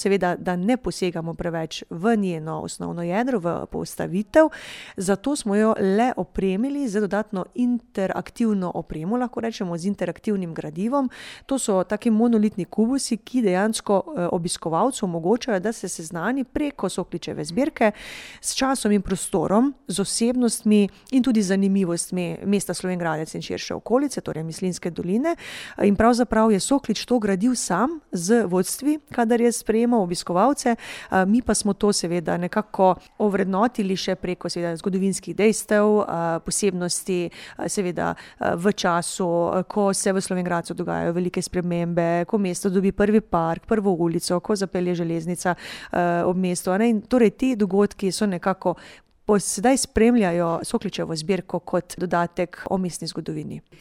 seveda, da ne posegamo preveč v njeno osnovno jedro, v postavitev, zato smo jo le opremili z dodatno interaktivno opremo, lahko rečemo z interaktivnim gradivom. To so taki monolitni kubusi, ki dejansko obiskovalcu omogočajo, da se seznani preko Sokličeve zbirke s časom in prostorom, z osebnostmi in tudi zanimivostmi mesta Slovenj Gradec in širše okolice, torej Mislinjske doline. In pravzaprav je Soklič to gradil sam z vodstvi, kadar je sprejemal obiskovalce, mi pa smo to seveda nekako ovrednotili še preko seveda zgodovinskih dejstev, posebnosti, seveda v času, ko se v Slovenj Gradcu dogajajo velike spremembe, ko mesto dobi prvi park, prvo ulico, ko zapelje železnica ob mestu. In torej ti dogodki so nekako sedaj spremljajo Sokličevo zbirko kot dodatek o mestni zgodovini.